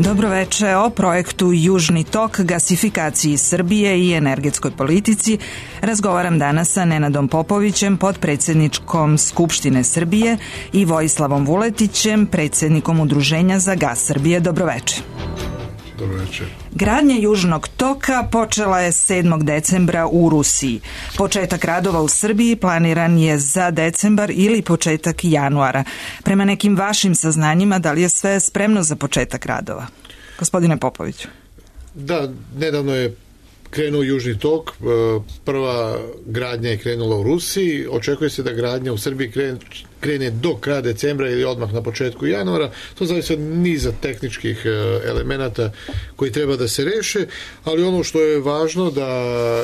Dobroveče. O projektu Južni tok, gasifikaciji Srbije i energetskoj politici razgovaram danas sa Nenadom Popovićem, potpredsedničkom Skupštine Srbije, i Vojislavom Vuletićem, predsednikom Udruženja za gas Srbije. Dobroveče. Dobroveče. Gradnja Južnog toka počela je 7. decembra u Rusiji. Početak radova u Srbiji planiran je za decembar ili početak januara. Prema nekim vašim saznanjima, da li je sve spremno za početak radova? Gospodine Popoviću. Da, nedavno je krenuo Južni tok, prva gradnja je krenula u Rusiji, očekuje se da gradnja u Srbiji krene do kraja decembra ili odmah na početku januara. To zavisi od niza tehničkih elemenata koji treba da se reše, ali ono što je važno da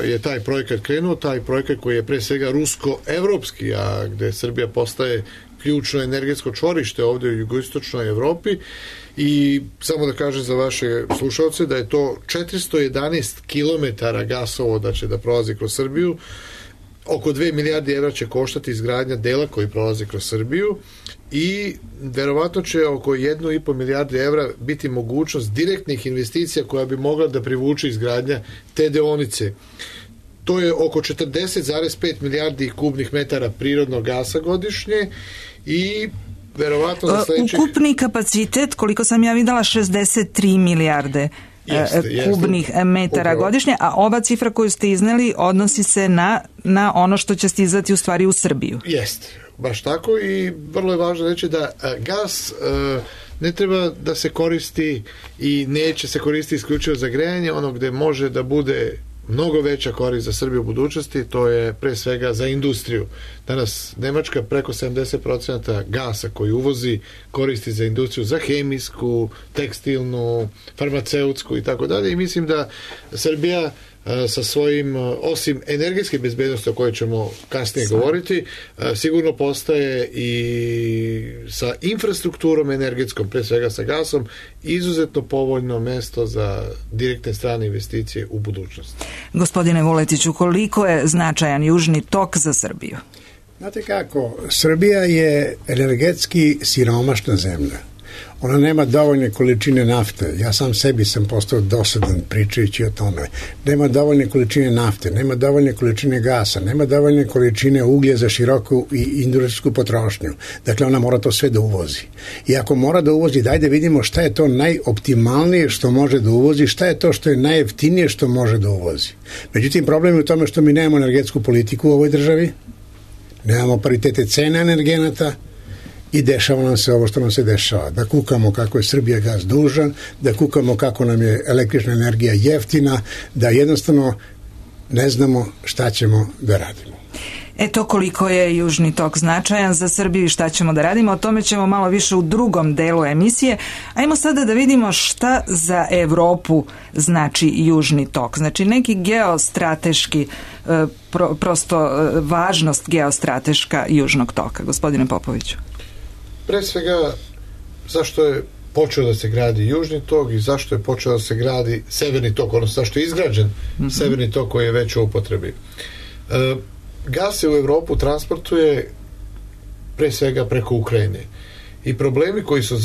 je taj projekat krenuo, taj projekat koji je pre svega rusko-evropski, a gde Srbija postaje ključno energetsko čvorište ovde u jugoistočnoj Evropi. I samo da kažem za vaše slušalce da je to 411 kilometara gasovoda će da prolazi kroz Srbiju. Oko 2 milijarde evra će koštati izgradnja dela koji prolazi kroz Srbiju i verovatno će oko 1,5 milijarde evra biti mogućnost direktnih investicija koja bi mogla da privuče izgradnja te deonice. To je oko 40,5 milijardi kubnih metara prirodnog gasa godišnje i verovatno za sledećih... Ukupni kapacitet, koliko sam ja videla, 63 milijarde kubnih metara godišnje, a ova cifra koju ste izneli odnosi se na ono što će stizati u stvari u Srbiju. Jeste, baš tako, i vrlo je važno reći da gas ne treba da se koristi i neće se koristiti isključivo za grejanje. Ono gde može da bude mnogo veća korist za Srbiju u budućnosti, to je pre svega za industriju. Danas Nemačka preko 70% gasa koji uvozi koristi za industriju, za hemijsku, tekstilnu, farmaceutsku i tako dalje, i mislim da Srbija sa svojim, osim energetske bezbednosti o kojoj ćemo kasnije govoriti, sigurno postaje i sa infrastrukturom energetskom, pre svega sa gasom, izuzetno povoljno mesto za direktne strane investicije u budućnosti. Gospodine Vuletiću, koliko je značajan Južni tok za Srbiju? Znate kako, Srbija je energetski siromašna zemlja. Ona nema dovoljne količine nafte. Ja sam sebi sam postao dosadan pričajući o tome. Nema dovoljne količine nafte, nema dovoljne količine gasa, nema dovoljne količine uglja za široku i industrijsku potrošnju. Dakle, ona mora to sve da uvozi. I ako mora da uvozi, daj da vidimo šta je to najoptimalnije što može da uvozi, šta je to što je najjeftinije što može da uvozi. Međutim, problem je u tome što mi nemamo energetsku politiku u ovoj državi, nemamo paritete cena energenata, i dešava nam se ovo što nam se dešava. Da kukamo kako je Srbija gas dužan, da kukamo kako nam je električna energija jeftina, da jednostavno ne znamo šta ćemo da radimo. Eto koliko je Južni tok značajan za Srbiju i šta ćemo da radimo. O tome ćemo malo više u drugom delu emisije. Ajmo sada da vidimo šta za Evropu znači Južni tok. Znači neki geostrateški, prosto važnost geostrateška Južnog toka. Gospodine Popoviću. Pre svega, zašto je počeo da se gradi Južni tok i zašto je počeo da se gradi Severni tok, odnosno zašto je izgrađen Severni tok koji je već u upotrebi. Gas se u Evropu transportuje pre svega preko Ukrajine. I problemi koji su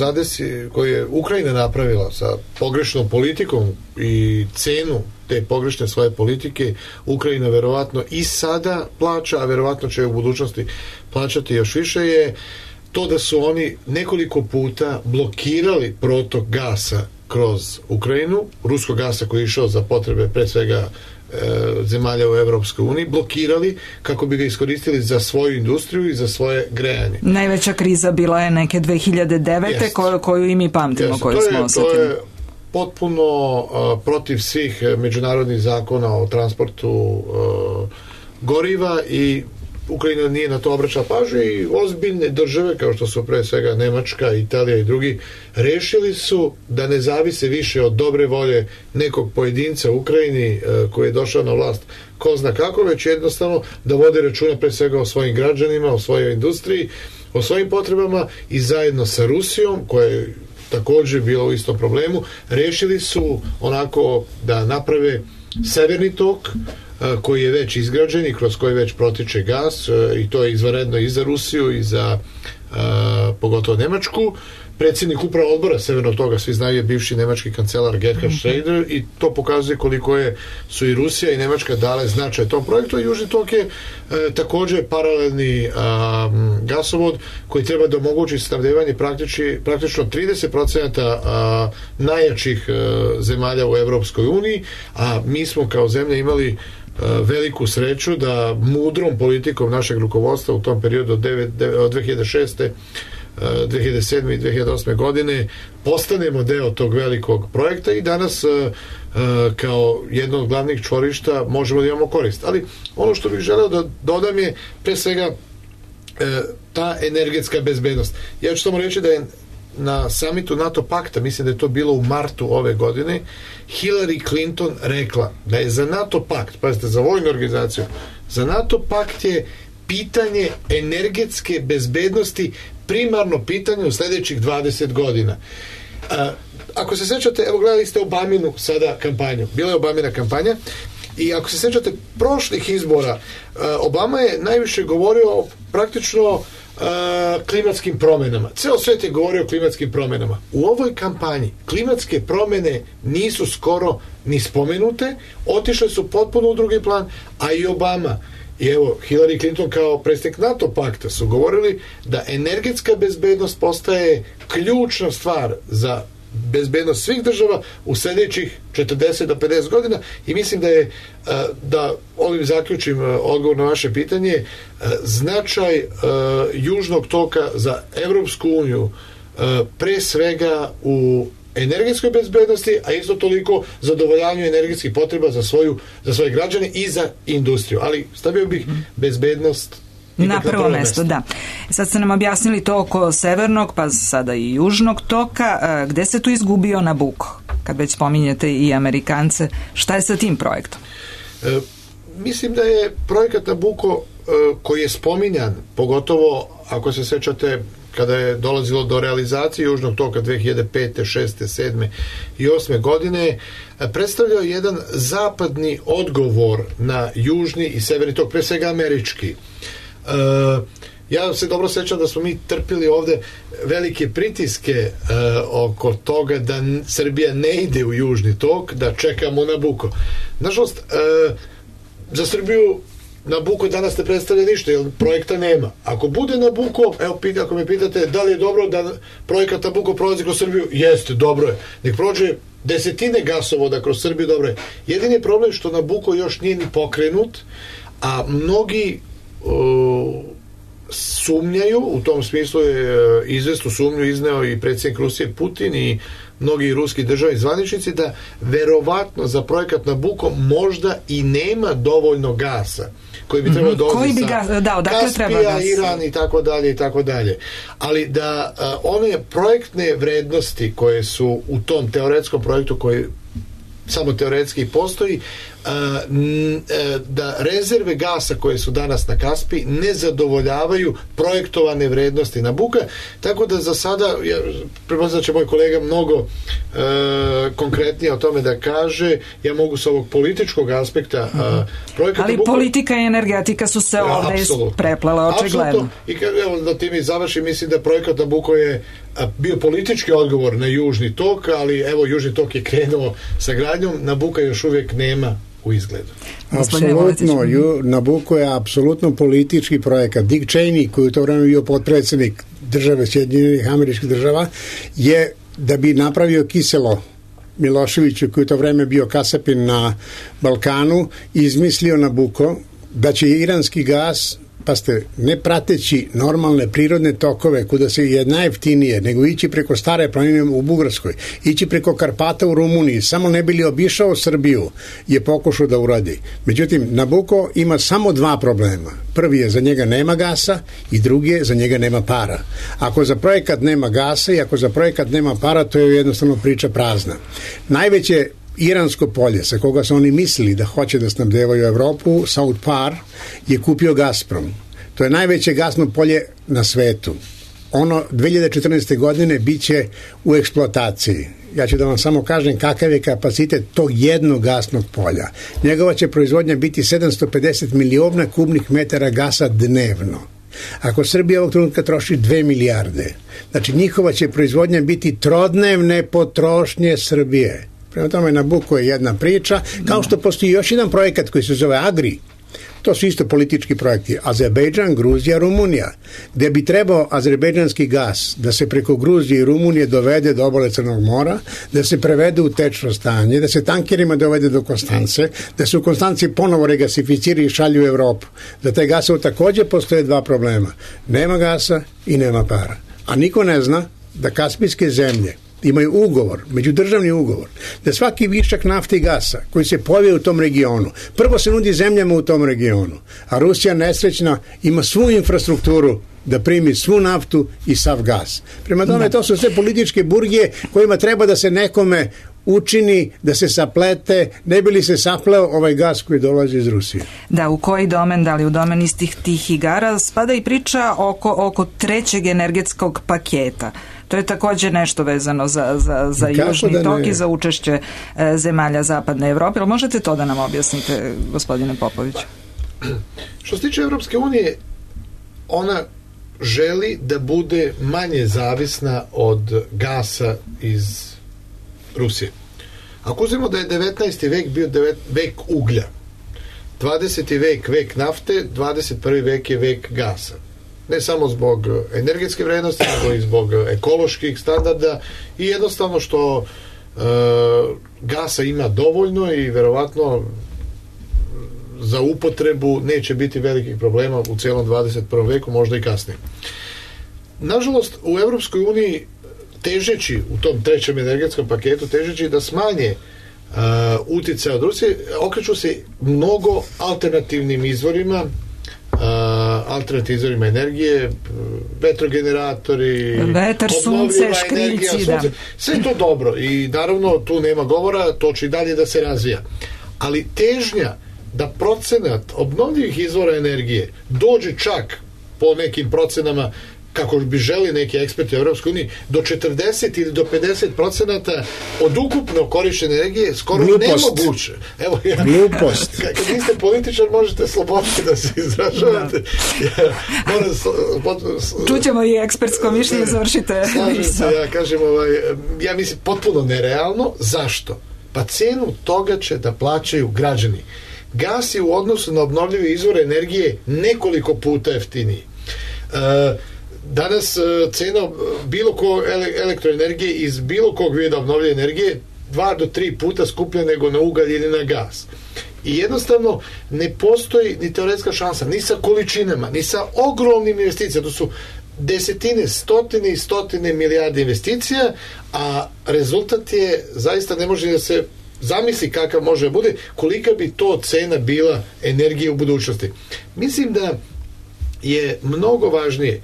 koje je Ukrajina napravila sa pogrešnom politikom i cenu te pogrešne svoje politike, Ukrajina verovatno i sada plaća, a verovatno će u budućnosti plaćati još više, je to da su oni nekoliko puta blokirali protok gasa kroz Ukrajinu, ruskog gasa koji je išao za potrebe pre svega zemalja u Evropskoj uniji, blokirali kako bi ga iskoristili za svoju industriju i za svoje grejanje. Najveća kriza bila je neke 2009. koju i mi pamtimo, koju smo osetili. To je potpuno protiv svih međunarodnih zakona o transportu goriva i Ukrajina nije na to obraćala pažnju i ozbiljne države kao što su pre svega Nemačka, Italija i drugi rešili su da ne zavise više od dobre volje nekog pojedinca u Ukrajini koji je došao na vlast ko zna kako, već jednostavno da vode računa pre svega o svojim građanima, o svojoj industriji, o svojim potrebama, i zajedno sa Rusijom koja je također bila u istom problemu, rešili su onako da naprave Severni tok koji je već izgrađen i kroz koji već protiče gas, i to je izvanredno i za Rusiju i za pogotovo Nemačku. predsjednik upravo odbora Severnog toga, svi znaju, je bivši nemački kancelar Gerhard Schröder, i to pokazuje koliko su i Rusija i Nemačka dale značaj tom projektu. Južni tok je također paralelni gasovod koji treba da omogući snabdevanje praktično 30% najjačih zemalja u Evropskoj uniji, a mi smo kao zemlja imali veliku sreću da mudrom politikom našeg rukovodstva u tom periodu od 2006. 2007. i 2008. godine postanemo deo tog velikog projekta i danas kao jedno od glavnih čvorišta možemo da imamo korist. Ali ono što bih želeo da dodam je pre svega ta energetska bezbednost. Ja ću samo reći da je na samitu NATO pakta, mislim da je to bilo u martu ove godine, Hillary Clinton rekla da je za NATO pakt, pazite, za vojnu organizaciju, za NATO pakt je pitanje energetske bezbednosti primarno pitanje u sljedećih 20 godina. Ako se sećate, evo gledali ste Obaminu sada kampanju, bila je Obamina kampanja, i ako se sećate prošlih izbora, Obama je najviše govorio praktično klimatskim promjenama. Ceo svet je govorio o klimatskim promjenama. U ovoj kampanji klimatske promjene nisu skoro ni spomenute, otišle su potpuno u drugi plan, a i Obama i evo Hillary Clinton kao predsjednik NATO pakta su govorili da energetska bezbednost postaje ključna stvar za bezbednost svih država u sljedećih 40 do 50 godina, i mislim da ovim zaključim odgovor na vaše pitanje, značaj južnog toka za Evropsku uniju pre svega u energetskoj bezbednosti, a isto toliko zadovoljanju energetskih potreba za svoje građane i za industriju, ali stavio bih bezbednost na prvo mesto, da. Sad ste nam objasnili to oko severnog, pa sada i južnog toka. Gde se tu izgubio Nabucco? Kad već spominjete i Amerikance, šta je sa tim projektom? Mislim da je projekat Nabucco koji je spominjan, pogotovo ako se sećate kada je dolazilo do realizacije južnog toka 2005. 6. 7. i 8. godine, predstavljao jedan zapadni odgovor na južni i severni tok, pre svega američki. Ja se dobro sećam da smo mi trpili ovde velike pritiske oko toga da Srbija ne ide u južni tok, da čekamo Nabucco. Nažalost, za Srbiju Nabucco danas ne predstavlja ništa, jer projekta nema. Ako bude Nabucco, evo, ako me pitate da li je dobro da projekat Nabucco prolazi kroz Srbiju, jeste, dobro je. Nek prođe desetine gasovoda kroz Srbiju, dobro je. Jedini je problem što Nabucco još nije ni pokrenut, a mnogi sumnjaju, u tom smislu je izvesnu sumnju izneo i predsjednik Rusije Putin i mnogi ruski državni zvaničnici, da verovatno za projekat Nabucco možda i nema dovoljno gasa koji bi trebao dolaziti sa Kaspija, Iran i tako dalje. Ali da one projektne vrednosti koje su u tom teoretskom projektu koji samo teoretski postoji, da rezerve gasa koje su danas na Kaspiji ne zadovoljavaju projektovane vrednosti Nabucca, tako da za sada pretpostavljam da će moj kolega mnogo konkretnije o tome da kaže. Ja mogu s ovog političkog aspekta projekata ali Nabucco, politika i energetika su se ovdje preplele očigledno. I evo, da ti mi završim, mislim da projekat Nabucco je bio politički odgovor na južni tok, ali evo južni tok je krenuo sa gradnjom, Nabucca još uvijek nema u izgledu. Apsolutno, Nabucco je apsolutno politički projekat. Dick Cheney, koji u to vreme bio potpredsjednik države Sjedinjenih Američkih Država, je da bi napravio kiselo Miloševiću, koji u to vreme bio kasapin na Balkanu, izmislio Nabucco da će iranski gas, pa ste, ne prateći normalne prirodne tokove kuda se je najjeftinije, nego ići preko Stare planine u Bugarskoj, ići preko Karpata u Rumuniji, samo ne bi li obišao Srbiju, je pokušao da uradi. Međutim, Nabucco ima samo dva problema. Prvi je, za njega nema gasa, i drugi je, za njega nema para. Ako za projekat nema gasa i ako za projekat nema para, to je jednostavno priča prazna. Najveće iransko polje sa koga su oni mislili da hoće da snabdevaju Evropu, South Par, je kupio Gazprom. To je najveće gasno polje na svetu. Ono 2014. godine bit će u eksploataciji. Ja ću da vam samo kažem kakav je kapacitet tog jednog gasnog polja. Njegova će proizvodnja biti 750 miliona kubnih metara gasa dnevno. Ako Srbija ovog trenutka troši 2 milijarde, znači njihova će proizvodnja biti trodnevne potrošnje Srbije. Prema tome, Nabucco je jedna priča, kao što postoji još jedan projekat koji se zove Agri. To su isto politički projekti. Azerbejdžan, Gruzija, Rumunija, gde bi trebao azerbejdžanski gas da se preko Gruzije i Rumunije dovede do obale Crnog mora, da se prevede u tečno stanje, da se tankerima dovede do Konstance, da se u Konstanci ponovo regasificira i šalju u Evropu. Za taj gasov takođe postoje 2 problema. Nema gasa i nema para. A niko ne zna da kaspijske zemlje imaju ugovor, međudržavni ugovor, da svaki višak nafte i gasa koji se pojavi u tom regionu, prvo se nudi zemljama u tom regionu, a Rusija nesrećna ima svu infrastrukturu da primi svu naftu i sav gas. Prema tome, to su sve političke burgije kojima treba da se nekome učini da se saplete, ne bi li se sapleo ovaj gas koji dolazi iz Rusije. Da, u koji domen, da li u domen istih tih igara, spada i priča oko 3. energetskog paketa. To je također nešto vezano za Južni tok i za učešće zemalja Zapadne Evrope. Ali možete to da nam objasnite, gospodine Popović? Što se tiče Evropske unije, ona želi da bude manje zavisna od gasa iz Rusije. Ako uzmemo da je 19. vek bio vek uglja, 20. vek vek nafte, 21. vek je vek gasa. Ne samo zbog energetske vrednosti, nego i zbog ekoloških standarda i jednostavno što gasa ima dovoljno i verovatno za upotrebu neće biti velikih problema u cijelom 21. veku, možda i kasnije. Nažalost, u Evropskoj uniji težeći u tom 3. energetskom paketu, težeći da smanje uticaj od Rusije, okreću se mnogo alternativnim izvorima, alternativnim energije, vetrogeneratori, vetar, sunce, škriljci, da. Sve to dobro i naravno tu nema govora, to će i dalje da se razvija. Ali težnja da procenat obnovljivih izvora energije dođe čak po nekim procenama kako bi želi neki eksperti u Evropskoj uniji, do 40 ili do 50% od ukupno korišćene energije skoro nemoguće. Evo, Glupost. Kad niste političar, možete slobodno da se izražavate. Čućemo i ekspertsko mišljenje, završite. Slažem se, ja kažem, ja mislim potpuno nerealno. Zašto? Pa cenu toga će da plaćaju građani. Gas je u odnosu na obnovljive izvore energije nekoliko puta jeftiniji. Danas cena bilo kog elektroenergije iz bilo kog vida obnovljive energije 2 do 3 puta skuplja nego na ugalj ili na gas. I jednostavno ne postoji ni teoretska šansa, ni sa količinama, ni sa ogromnim investicijama. To su desetine, stotine i stotine milijarde investicija, a rezultat je, zaista ne može da se zamisli kakav može da bude, kolika bi to cena bila energije u budućnosti. Mislim da je mnogo važnije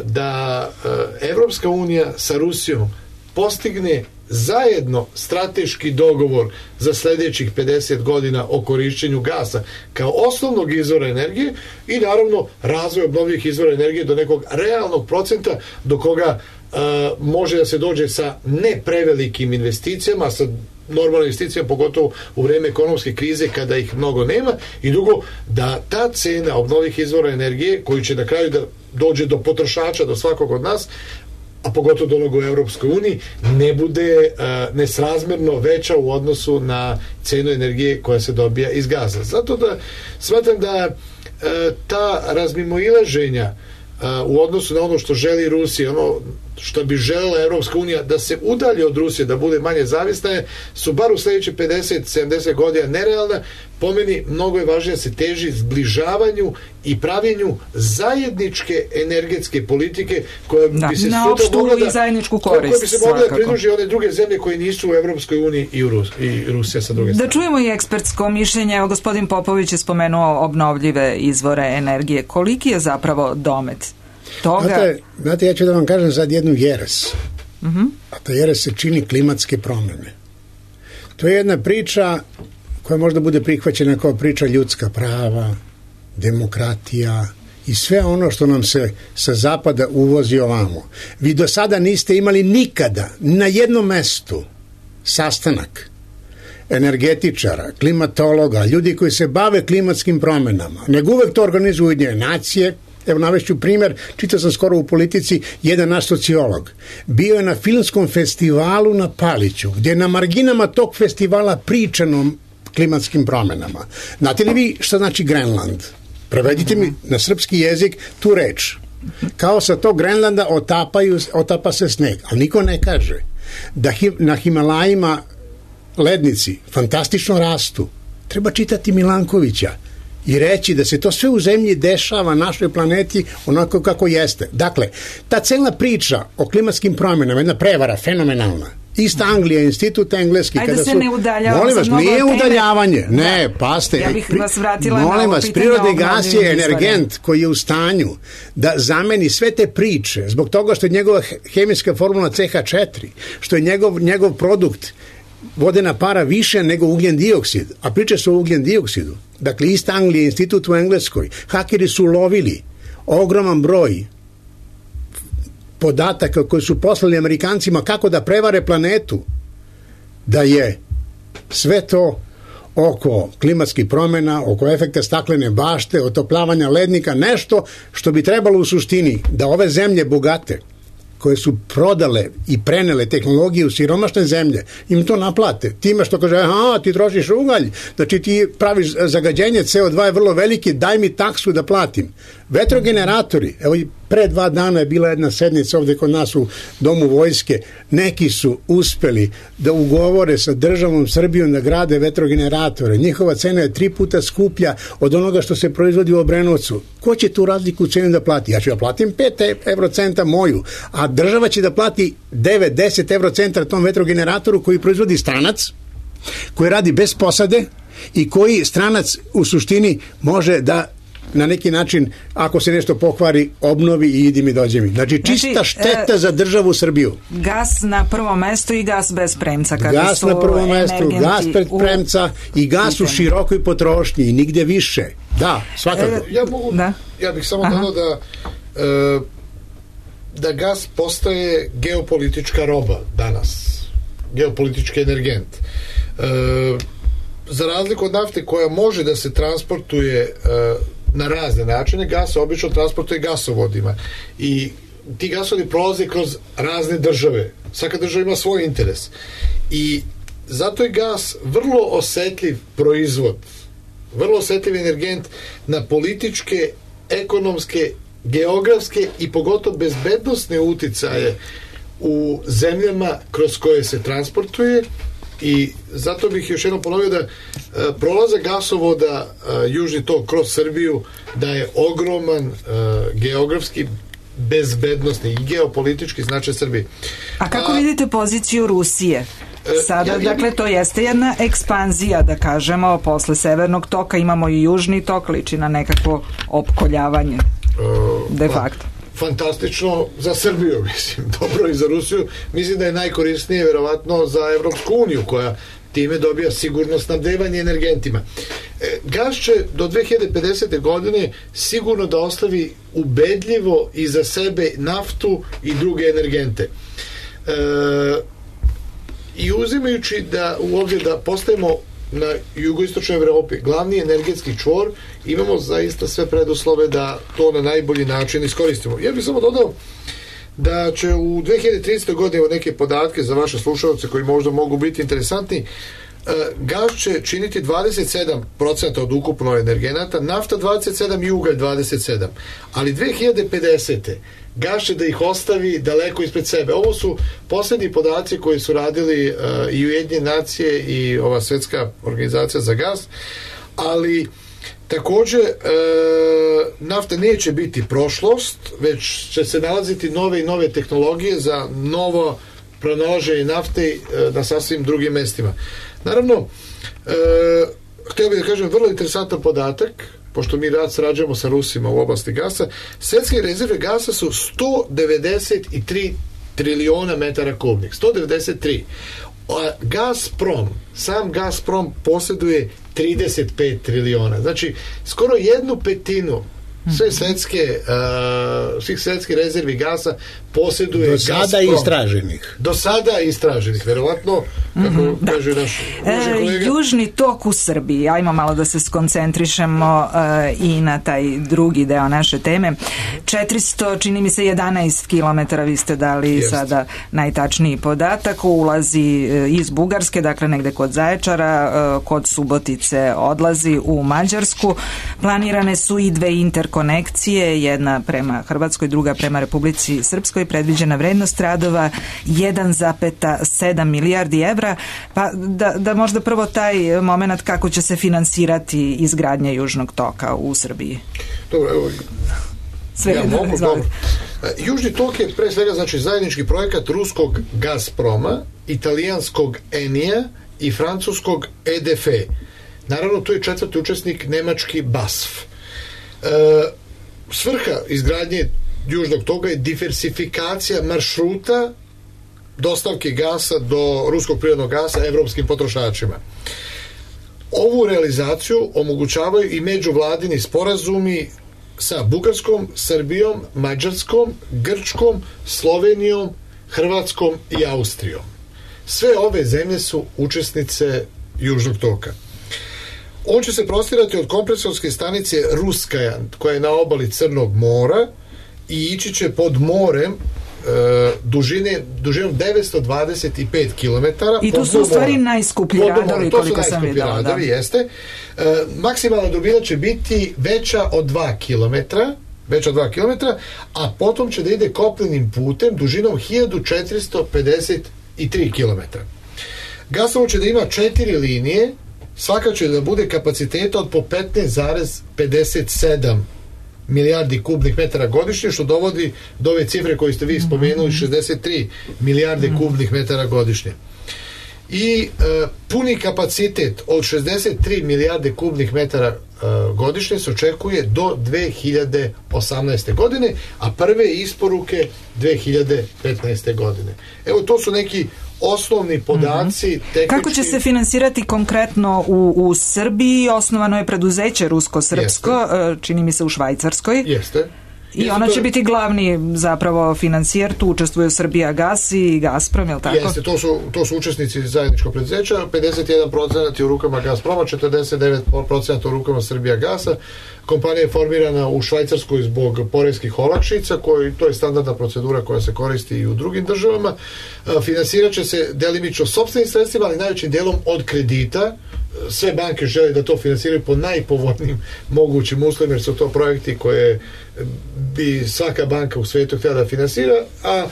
da Evropska unija sa Rusijom postigne zajedno strateški dogovor za sljedećih 50 godina o korišćenju gasa kao osnovnog izvora energije i naravno razvoj obnovljivih izvora energije do nekog realnog procenta do koga može da se dođe sa ne prevelikim investicijama, sa normalne investicije, pogotovo u vreme ekonomske krize kada ih mnogo nema, i drugo, da ta cena obnovljivih izvora energije, koji će na kraju da dođe do potrošača, do svakog od nas, a pogotovo do onog u Europskoj uniji, ne bude nesrazmerno veća u odnosu na cenu energije koja se dobija iz gaza. Zato da smatram da ta razmimoilaženja u odnosu na ono što želi Rusija, ono što bi želela Evropska unija da se udalje od Rusije, da bude manje zavisna, su bar u sljedeće 50-70 godina nerealna. Po meni mnogo je važnije da se teži zbližavanju i pravljenju zajedničke energetske politike koja bi se na opštu i zajedničku korist, koja bi se mogla da pridruži one druge zemlje koje nisu u Evropskoj uniji i Rusija sa druge strane. Da čujemo i ekspertsko mišljenje. Evo, gospodin Popović je spomenuo obnovljive izvore energije. Koliki je zapravo domet toga? Znate, ja ću da vam kažem sad jednu jeres. A ta jeres se čini klimatske promjene. To je jedna priča koja možda bude prihvaćena kao priča ljudska prava, demokratija i sve ono što nam se sa zapada uvozi ovamo. Vi do sada niste imali nikada na jednom mestu sastanak energetičara, klimatologa, ljudi koji se bave klimatskim promjenama, nego uvek to organizuju Ujedinjene nacije, Evo navešću primer, čitao sam skoro u Politici, jedan naš sociolog. Bio je na filmskom festivalu na Paliću, gdje je na marginama tog festivala pričano klimatskim promenama. Znate li vi šta znači Grenland? Prevedite mi na srpski jezik tu reč. Kao sa tog Grenlanda otapa se sneg, ali niko ne kaže da na Himalajima lednici fantastično rastu. Treba čitati Milankovića i reći da se to sve u zemlji dešava našoj planeti onako kako jeste. Dakle, ta cela priča o klimatskim promjenama je jedna prevara fenomenalna. Ista Anglija, institut engleski. Ajde se ne udaljavamo. Molim vas, nije udaljavanje. Ne, paste. Ja bih vas vratila molim na vas, prirodni gas je energent koji je u stanju da zameni sve te priče zbog toga što je njegova hemijska formula CH4, što je njegov produkt vodena para više nego ugljen dioksid, a priče su o ugljen dioksidu. Dakle, ista Anglija, institut u Engleskoj. Hakeri su lovili ogroman broj podataka koji su poslali Amerikancima kako da prevare planetu, da je sve to oko klimatskih promjena, oko efekta staklene bašte, otoplavanja lednika, nešto što bi trebalo u suštini da ove zemlje bogate, koje su prodale i prenele tehnologiju u siromašne zemlje, im to naplate. Time što kaže, ti trošiš ugalj, znači ti praviš zagađenje, CO2 je vrlo veliki, daj mi taksu da platim. Vetrogeneratori, evo i pre 2 dana je bila jedna sednica ovdje kod nas u Domu vojske, neki su uspeli da ugovore sa državom Srbijom da grade vetrogeneratore. Njihova cena je 3 puta skuplja od onoga što se proizvodi u Obrenovcu. Ko će tu razliku cenu da plati? Ja ću da platim 5 eurocenta moju, a država će da plati 9-10 eurocenta tom vetrogeneratoru koji proizvodi stranac, koji radi bez posade i koji stranac u suštini može da na neki način, ako se nešto pokvari, obnovi i idi mi, dođe mi. Znači, čista šteta za državu Srbiju. Gas na prvom mestu i gas bez premca. Gas na prvom mestu, gas bez premca i gas u širokoj potrošnji i nigde više. Da, svakako. Ja bih samo dodao da gas postaje geopolitička roba danas. Geopolitički energent. Za razliku od nafte koja može da se transportuje na razne načine, gas se obično transportuje gasovodima i ti gasovodi prolaze kroz razne države. Svaka država ima svoj interes i zato je gas vrlo osetljiv proizvod, vrlo osetljiv energent na političke, ekonomske, geografske i pogotovo bezbednosne uticaje u zemljama kroz koje se transportuje. I zato bih još jednom ponovio da prolazak gasovoda Južni tok kroz Srbiju da je ogroman geografski, bezbednosni i geopolitički značaj Srbije. A kako vidite poziciju Rusije? Sada, dakle, to jeste jedna ekspanzija, da kažemo, posle Severnog toka imamo i Južni tok, liči na nekakvo opkoljavanje de facto. Fantastično za Srbiju, mislim, dobro i za Rusiju. Mislim da je najkorisnije verovatno za Evropsku uniju, koja time dobija sigurno snabdevanje energentima. Gas će do 2050. godine sigurno da ostavi ubedljivo iza sebe naftu i druge energente. I uzimajući da u obzir da postajemo na jugoistočnoj Evropi glavni energetski čvor, imamo zaista sve preduslove da to na najbolji način iskoristimo. Ja bih samo dodao da će u 2030. godine, neke podatke za vaše slušalce koji možda mogu biti interesantni, gas će činiti 27% od ukupno energenata, nafta 27% i ugalj 27%. Ali 2050. gas će da ih ostavi daleko ispred sebe. Ovo su poslednji podaci koji su radili i Ujedinjene nacije i ova svetska organizacija za gas, ali takođe nafta neće biti prošlost, već će se nalaziti nove i nove tehnologije za novo pronalaženje nafte na sasvim drugim mestima. Naravno, htio bih da kažem vrlo interesantan podatak, pošto mi sarađujemo sa Rusima u oblasti gasa. Svetske rezerve gasa su 193 triliona metara kubnih. 193. A sam Gazprom posjeduje 35 triliona. Znači, skoro 1/5 svih svetskih rezervi gasa posjeduje Gazprom. Do sada istraženih, verovatno, kako kaže naš kolega. Južni tok u Srbiji, ajmo malo da se skoncentrišemo i na taj drugi deo naše teme. 400, čini mi se 11 kilometara, vi ste dali sada najtačniji podatak, ulazi iz Bugarske, dakle negde kod Zaječara, kod Subotice odlazi u Mađarsku. Planirane su i dve interkonekcije, jedna prema Hrvatskoj, druga prema Republici Srpskoj. Predviđena vrednost radova 1,7 milijardi evra. Pa da možda prvo taj moment kako će se finansirati izgradnja Južnog toka u Srbiji. Dobro, evo, Južni tok je pre svega znači zajednički projekat ruskog Gazproma, italijanskog Enija i francuskog EDF. Naravno, tu je četvrti učesnik nemački BASF. Svrha izgradnje Južnog toga je diversifikacija maršruta dostavke gasa do ruskog prirodnog gasa evropskim potrošačima. Ovu realizaciju omogućavaju i međuvladini sporazumi sa Bugarskom, Srbijom, Mađarskom, Grčkom, Slovenijom, Hrvatskom i Austrijom. Sve ove zemlje su učesnice Južnog toka. On će se prostirati od kompresorske stanice Ruskaja, koja je na obali Crnog mora, i ići će pod morem dužinom 925 km. I to su u stvari najskuplji radovi, koliko sam videla. Radovi, jeste. Maksimalna dubina će biti veća od 2 km, a potom će da ide kopnenim putem dužinom 1453 km. Gasovod će da ima 4 linije, svaka će da bude kapaciteta od po 15,57 milijardi kubnih metara godišnje, što dovodi do ove cifre koje ste vi spomenuli, 63 milijarde kubnih metara godišnje. I puni kapacitet od 63 milijarde kubnih metara godišnje se očekuje do 2018. godine, a prve isporuke 2015. godine. Evo, to su neki osnovni podaci. Kako će se finansirati konkretno u Srbiji? Osnovano je preduzeće rusko-srpsko, čini mi se u Švajcarskoj. Jeste. I ona će biti glavni zapravo financijer, tu učestvuju Srbija gas i Gazprom, je li tako? Jeste, to su učesnici zajedničkog preduzeća, 51% je u rukama Gazproma, 49% u rukama Srbija gasa. Kompanija je formirana u Švajcarskoj zbog poreskih olakšica, to je standardna procedura koja se koristi i u drugim državama. Finansirat će se delimično sopstvenim sredstvima, ali najvećim delom od kredita. Sve banke žele da to finansiraju po najpovoljnijim mogućim uslovima, jer su to projekti koje bi svaka banka u svijetu htjela da finansira, a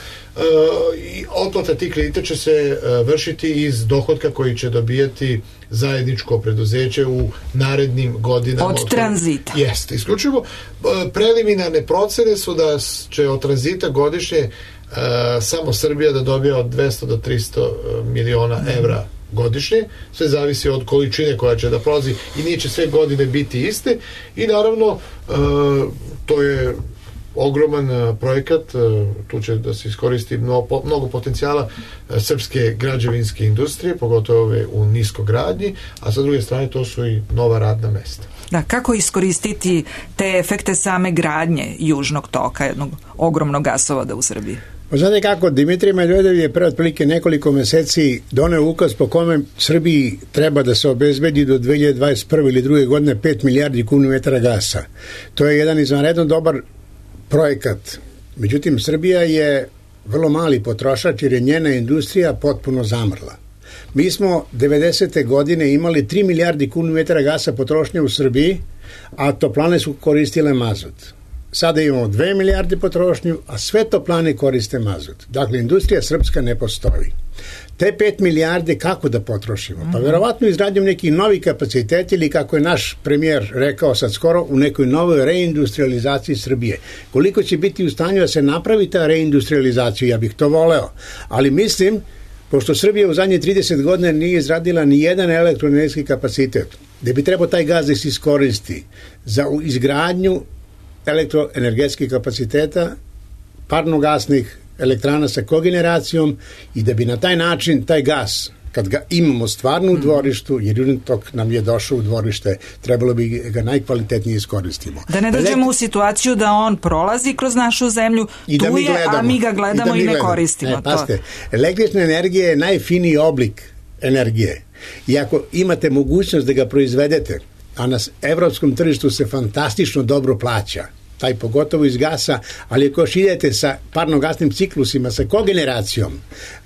otplata tih kredita će se vršiti iz dohotka koji će dobijati zajedničko preduzeće u narednim godinama. Od tranzita. Jeste, isključivo. Preliminarne procene su da će od tranzita godišnje samo Srbija da dobija od 200 do 300 miliona evra godišnje, sve zavisi od količine koja će da prolazi i neće sve godine biti iste i naravno to je ogroman projekat, tu će da se iskoristi mnogo potencijala srpske građevinske industrije, pogotovo ove u niskogradnji, a sa druge strane to su i nova radna mesta. Da, kako iskoristiti te efekte same gradnje Južnog toka, jednog ogromnog gasovoda u Srbiji? Znate kako, Dimitrij Medvedev je pre otprilike nekoliko meseci doneo ukaz po kome Srbiji treba da se obezbedi do 2021. ili druge godine 5 milijardi kubnih metara gasa. To je jedan izvanredno dobar projekat. Međutim, Srbija je vrlo mali potrošač jer je njena industrija potpuno zamrla. Mi smo 90. godine imali 3 milijardi kubnih metara gasa potrošnje u Srbiji, a toplane su koristile mazut. Sada imamo 2 milijarde potrošnju, a sve toplane koriste mazut. Dakle, industrija srpska ne postoji. Te 5 milijarde kako da potrošimo? Pa verovatno izgradnjom nekih novih kapaciteta ili kako je naš premijer rekao sad skoro u nekoj novoj reindustrializaciji Srbije. Koliko će biti u stanju da se napravi ta reindustrializacija, ja bih to voleo. Ali mislim, pošto Srbija u zadnje 30 godina nije izradila ni jedan elektroenergetski kapacitet, gde bi trebao taj gaz da se iskoristi za izgradnju elektroenergetskih kapaciteta, parnogasnih elektrana sa kogeneracijom i da bi na taj način taj gas, kad ga imamo stvarno u dvorištu, jer Južni tok nam je došao u dvorište, trebalo bi ga najkvalitetnije iskoristimo. Da ne dođemo u situaciju da on prolazi kroz našu zemlju, I da tu je, a mi ga gledamo i ne koristimo. Pazite, električna energija je najfiniji oblik energije. I ako imate mogućnost da ga proizvedete, a na evropskom tržištu se fantastično dobro plaća, taj pogotovo iz gasa, ali ako još idete sa parno-gasnim ciklusima, sa kogeneracijom,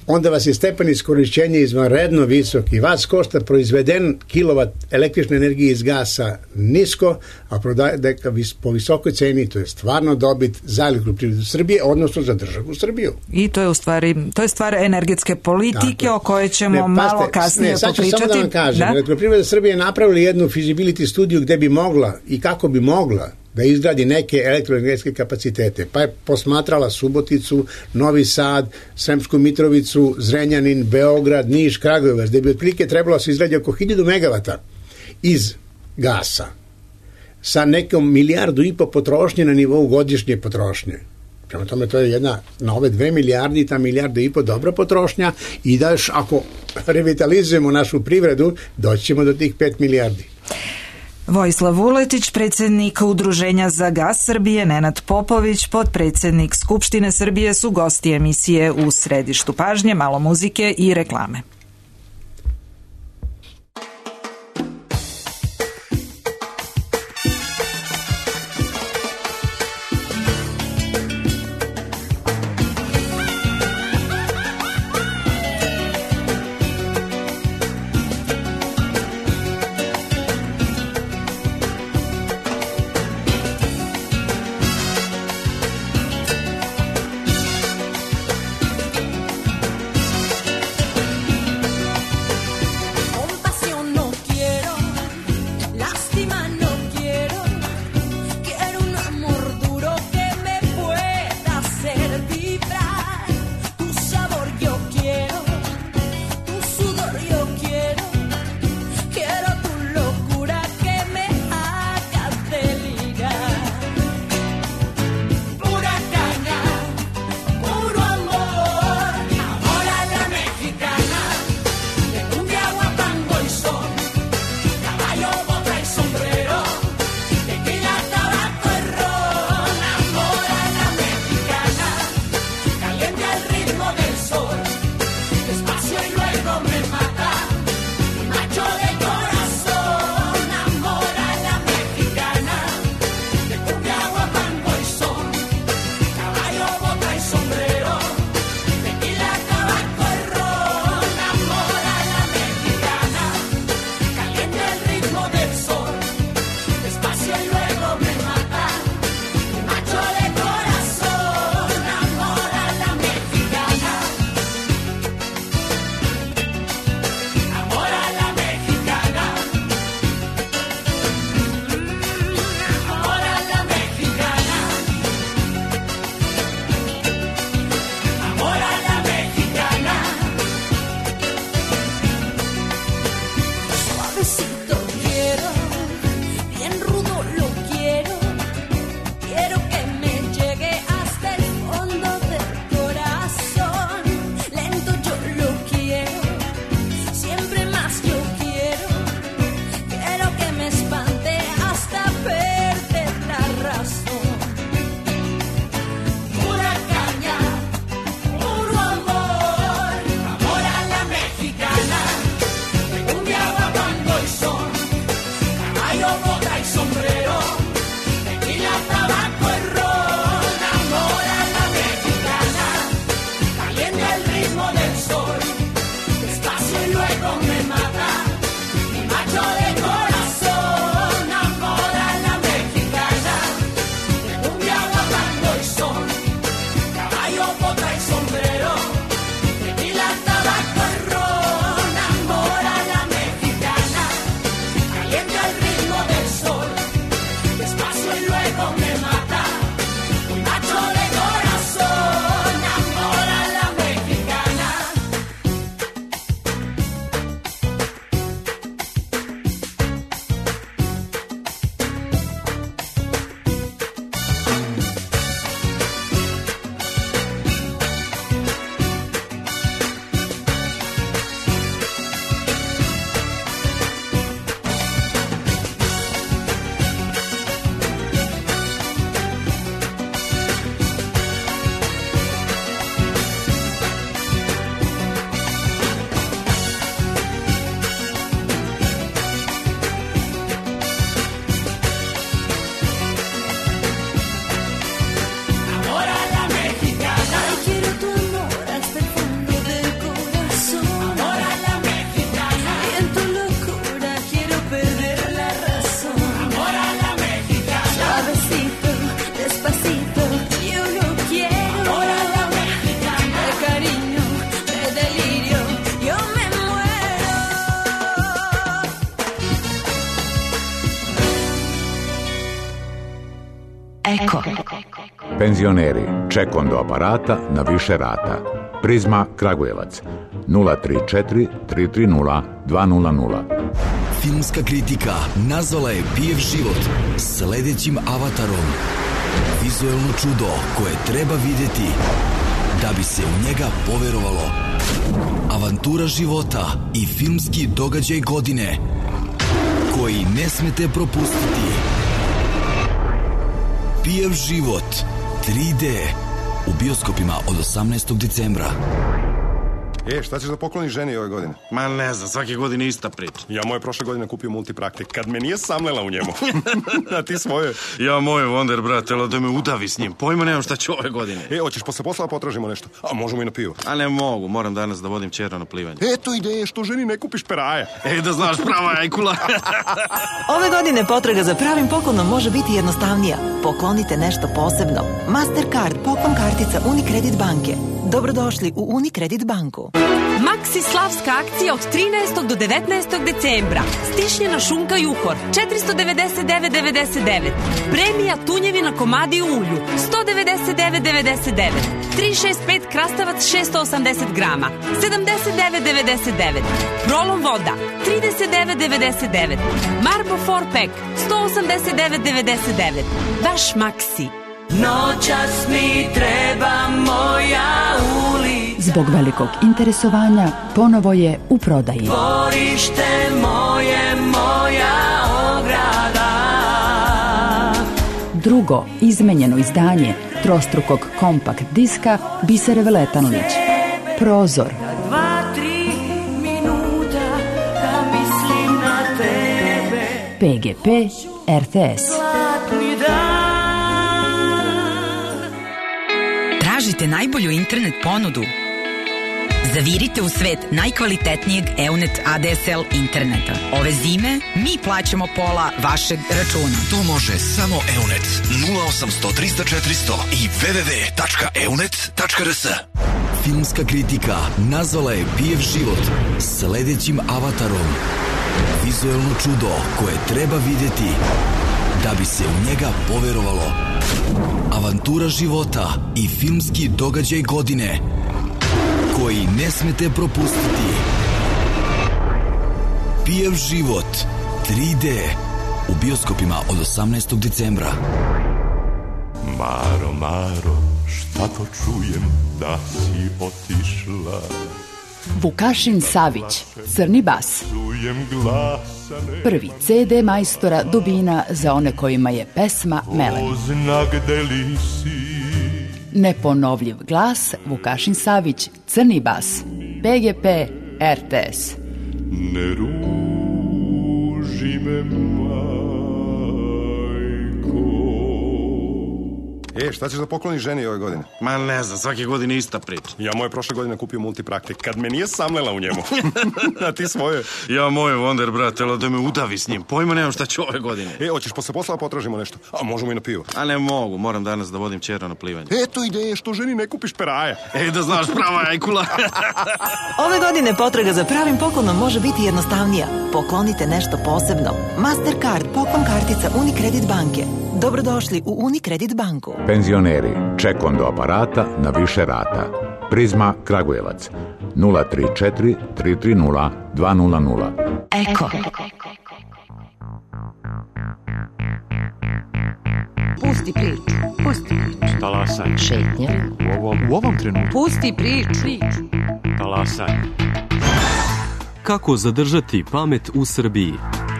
onda vas je stepen iskorišćenja izvanredno visok i vas košta proizveden kilovat električne energije iz gasa nisko, a prodaje po visokoj ceni, to je stvarno dobit za Elektroprivredu Srbije, odnosno za državu Srbiju. I to je u stvari, to je stvar energetske politike o kojoj ćemo malo kasnije popričati. Sad ću samo da vam kažem, Elektroprivreda Srbije je napravila jednu feasibility studiju gde bi mogla i kako bi mogla da izgradi neke elektroenergetske kapacitete. Pa je posmatrala Suboticu, Novi Sad, Sremsku Mitrovicu, Zrenjanin, Beograd, Niš, Kragujevac, gde bi otprilike trebalo se izgradi oko 1000 megavata iz gasa sa nekom 1,5 milijardu potrošnje na nivou godišnje potrošnje. Prema tome, to je jedna, na ove 2 milijarde, ta 1,5 milijarda dobra potrošnja i da još ako revitalizujemo našu privredu, doći ćemo do tih 5 milijardi. Vojislav Vuletić, predsjednik Udruženja za gas Srbije, Nenad Popović, potpredsjednik Skupštine Srbije su gosti emisije U središtu pažnje, malo muzike i reklame. Eko. Penzioneri, ček do aparata na više rata. Prizma Kragujevac 034 330 200. Filmska kritika nazvala je Pijev život sledećim avatarom. Vizuelno čudo koje treba vidjeti da bi se u njega poverovalo. Avantura života i filmski događaj godine koji ne smete propustiti. Pijev život 3D u bioskopima od 18. decembra. Šta ćeš da pokloniš ženi ove godine? Ma ne znam, svake godine ista priča. Ja moje prošle godine kupio multipraktik, kad me nije samlela u njemu. A ti svoje? Ja moje Wonder, brate, da me udavi s njim. Pojma nemam šta ću ove godine. Hoćeš posle posla potražimo nešto? A možemo i na pivo. A ne mogu, moram danas da vodim ćera na plivanje. Eto ideje, što ženi ne kupiš peraja. Da znaš, prava ajkula. Ove godine potraga za pravim poklonom može biti jednostavnija. Poklonite nešto posebno. Mastercard poklon kartica Unicredit banke. Dobrodošli u Unicredit banku. Maxi slavska akcija od 13. do 19. decembra. Stišnjena šunka juhor 499,99. Premija tunjevina komadi u ulju 199,99. 365 krastavac 680 grama 79,99. Prolom voda 39,99. Marbo 4-pack 189,99. Vaš Maxi. Noćas mi treba moja ulica. Zbog velikog interesovanja ponovo je u prodaji. Dvorište moje, moja ograda. Drugo izmenjeno izdanje trostrukog kompakt diska Bisere Veletanović. Prozor. 2-3 minuta da mislim na tebe. PGP RTS. Zlatni dan. Tražite najbolju internet ponudu? Zavirite u svet najkvalitetnijeg EUNET ADSL interneta. Ove zime mi plaćamo pola vašeg računa. To može samo EUNET 0800 300 400 i www.eunet.rs. Filmska kritika nazvala je Pijev život sledećim avatarom. Vizuelno čudo koje treba vidjeti da bi se u njega poverovalo. Avantura života i filmski događaj godine koji ne smete propustiti. Pijev život 3D u bioskopima od 18. decembra. Maro, Maro, šta to čujem da si otišla? Vukašin Savić, Crni bas. Prvi CD majstora Dubina za one kojima je pesma Melem. Neponovljiv glas Vukašin Savić, Crni bas. PGP RTS. Ne ruži me, šta ćeš da pokloniš ženi ove godine? Ma ne znam, svake godine ista priča. Ja moje prošle godine kupio multipraktik, kad me nije samlela u njemu. A ti svoje? Ja moje Wonder, brate, da me udavi s njim. Pojma nemam šta ću ove godine. Hoćeš posle posla potražimo nešto? A možemo i na pivo. A ne mogu, moram danas da vodim ćera na plivanje. Eto ideje, što ženi ne kupiš peraja. Da znaš, prava ajkula. Ove godine potraga za pravim poklonom može biti jednostavnija. Poklonite nešto posebno. Mastercard poklon kartica Unicredit banke. Dobrodošli u Unicredit banku. Penzioneri, ček do aparata na više rata. Prizma Kragujevac 034 330 200. Eko. Pusti priču. Talasaj. Šetnja. U ovom trenutku. Pusti priču. Talasaj. Kako zadržati pamet u Srbiji?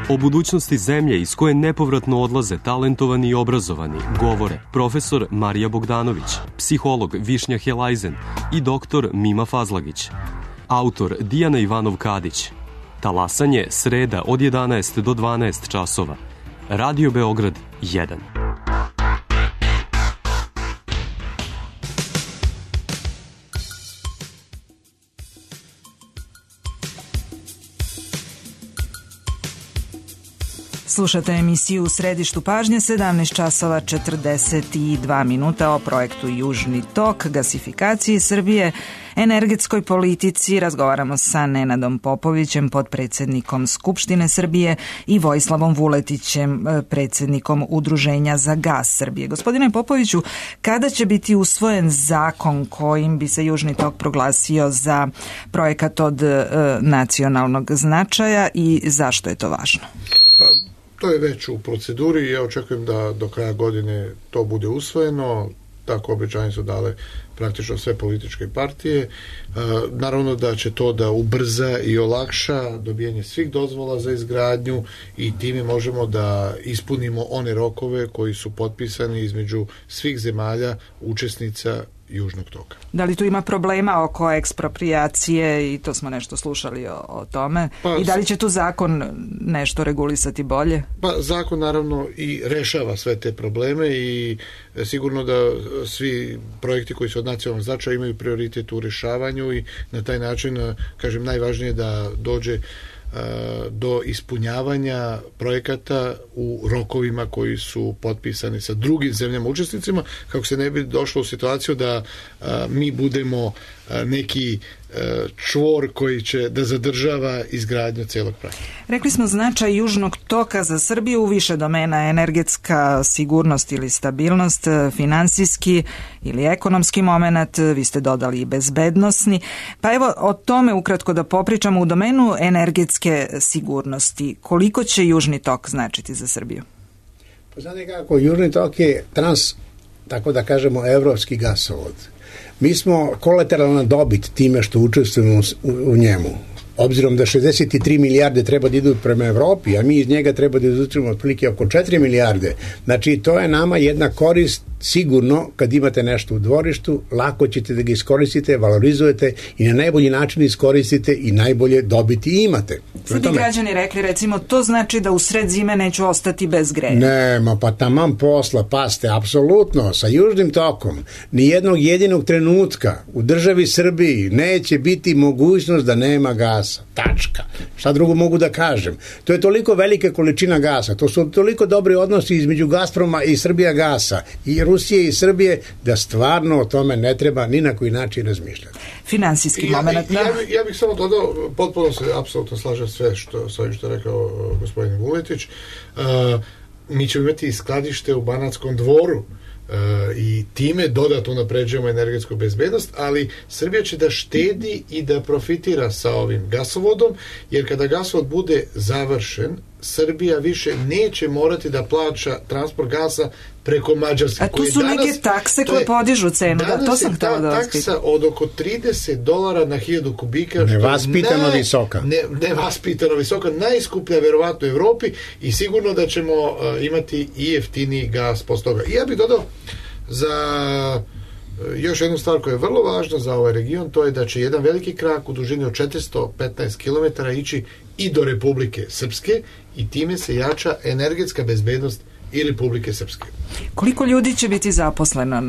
O budućnosti zemlje iz koje nepovratno odlaze talentovani i obrazovani govore profesor Marija Bogdanović, psiholog Višnja Helajzen i doktor Mima Fazlagić. Autor Dijana Ivanov-Kadić. Talasanje sreda od 11 do 12 časova. Radio Beograd 1. Slušate emisiju U središtu pažnje, 17 časova 42 minuta o projektu Južni tok, gasifikaciji Srbije. energetskoj politici. Razgovaramo sa Nenadom Popovićem, potpredsjednikom Skupštine Srbije, i Vojislavom Vuletićem, predsjednikom Udruženja za gas Srbije. Gospodine Popoviću, kada će biti usvojen zakon kojim bi se Južni tok proglasio za projekat od nacionalnog značaja i zašto je to važno? Pa, to je već u proceduri i ja očekujem da do kraja godine to bude usvojeno. Tako obećanje su dale praktično sve političke partije. Naravno da će to da ubrza i olakša dobijanje svih dozvola za izgradnju i time možemo da ispunimo one rokove koji su potpisani između svih zemalja učesnica Južnog toka. Da li tu ima problema oko eksproprijacije i to smo nešto slušali o tome? I da li će tu zakon nešto regulisati bolje? Pa zakon naravno i rešava sve te probleme i sigurno da svi projekti koji su od nacionalnog značaja imaju prioritet u rešavanju i na taj način, kažem, najvažnije je da dođe do ispunjavanja projekata u rokovima koji su potpisani sa drugim zemljama učesnicima, kako se ne bi došlo u situaciju da mi budemo neki čvor koji će da zadržava izgradnju celog projekta. Rekli smo značaj Južnog toka za Srbiju u više domena: energetska sigurnost ili stabilnost, finansijski ili ekonomski moment, vi ste dodali i bezbednosni. Pa evo o tome ukratko da popričamo. U domenu energetske sigurnosti, koliko će Južni tok značiti za Srbiju? Pa znate kako, Južni tok je tako da kažemo, evropski gasovod. Mi smo kolateralna dobit time što učestvujemo u njemu. Obzirom da 63 milijarde treba da idu prema Evropi, a mi iz njega treba da izvučemo otprilike oko 4 milijarde. Znači, to je nama jedna korist. Sigurno, kad imate nešto u dvorištu, lako ćete da ga iskoristite, valorizujete i na najbolji način iskoristite i najbolje dobiti imate. Sad bi građani rekli, recimo, to znači da u sred zime neću ostati bez greja. Nema, pa taman posla, paste, apsolutno, sa Južnim tokom ni jednog jedinog trenutka u državi Srbiji neće biti mogućnost da nema gasa. Tačka. Šta drugo mogu da kažem? To je toliko velika količina gasa, to su toliko dobri odnosi između Gazproma i Srbija gasa i Rusije i Srbije, da stvarno o tome ne treba ni na koji način razmišljati. Finansijski moment. Ja bih samo dodao, potpuno se apsolutno slažem sve sa ovim što je rekao gospodin Vuletić. Mi ćemo imati skladište u Banatskom Dvoru i time dodatno napređujemo energetsku bezbednost, ali Srbija će da štedi i da profitira sa ovim gasovodom, jer kada gasovod bude završen, Srbija više neće morati da plaća transport gasa preko Mađarske. A tu su neke takse koje podižu cenu, da, to sam htjela da vas pitam. Taksa od oko $30 na 1000 kubika. Nevaspitano visoka. Nevaspitano visoka, najskuplja verovatno u Evropi i sigurno da ćemo imati i jeftiniji gas posle toga. I ja bih dodao za još jednu stvar koja je vrlo važna za ovaj region, to je da će jedan veliki krak u dužini od 415 km ići i do Republike Srpske i time se jača energetska bezbednost i Republike Srpske. Koliko ljudi će biti zaposleno?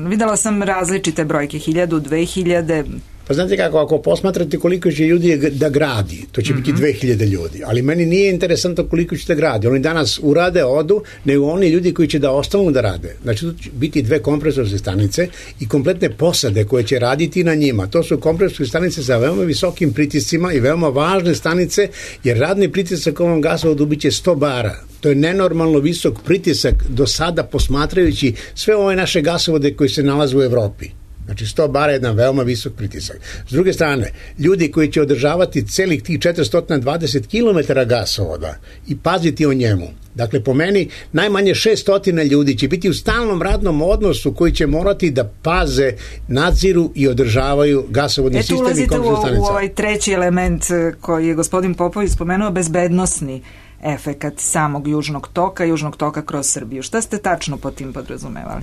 Videla sam različite brojke, 1000, 2000... Pa znate kako, ako posmatrate koliko će ljudi da gradi, to će biti 2000 ljudi, ali meni nije interesantno koliko će da gradi. Oni danas urade, odu, nego oni ljudi koji će da ostanu da rade. Znači, tu će biti 2 kompresorske stanice i kompletne posade koje će raditi na njima. To su kompresorske stanice sa veoma visokim pritiscima i veoma važne stanice, jer radni pritisak ovom gasovodu biće 100 bara. To je nenormalno visok pritisak do sada posmatrajući sve ove naše gasovode koji se nalaze u Evropi. Znači 100 bara je jedan veoma visok pritisak. S druge strane, ljudi koji će održavati celih tih 420 km gasovoda i paziti o njemu. Dakle, po meni, najmanje 600 ljudi će biti u stalnom radnom odnosu koji će morati da paze, nadziru i održavaju gasovodni sistem i kompresne stanice. Ulazite u ovaj treći element koji je gospodin Popović spomenuo, bezbednosni efekat samog Južnog toka kroz Srbiju. Šta ste tačno po tim podrazumevali?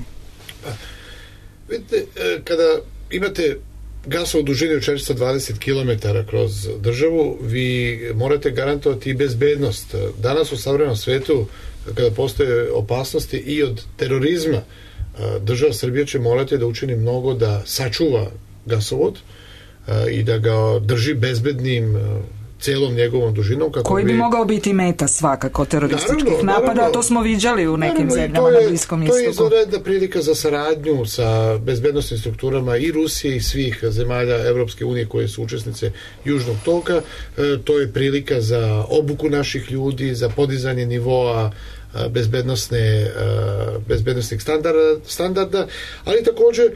Vidite, kada imate gasovod u dužini od 420 km kroz državu, vi morate garantovati i bezbednost. Danas u savremenom svetu, kada postoje opasnosti i od terorizma, država Srbija će morati da učini mnogo da sačuva gasovod i da ga drži bezbednim celom njegovom dužinom. Koji bi mogao biti meta svakako terorističkih napada, to smo viđali u nekim zemljama na Bliskom istoku. To je izvanredna prilika za saradnju sa bezbednosnim strukturama i Rusije i svih zemalja Evropske unije koje su učesnice Južnog toka. To je prilika za obuku naših ljudi, za podizanje nivoa bezbednostnih standarda, ali također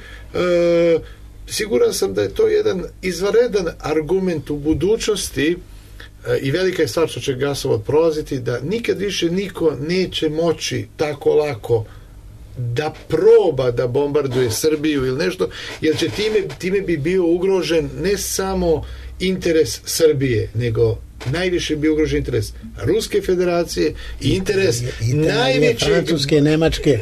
siguran sam da je to jedan izvanredan argument u budućnosti i velika je stvar što će gasovod prolaziti, da nikad više niko neće moći tako lako da proba da bombarduje Srbiju ili nešto, jer će time bi bio ugrožen ne samo interes Srbije, nego najviše bi ugrožen interes Ruske federacije i interes najveće Francuske, Nemačke,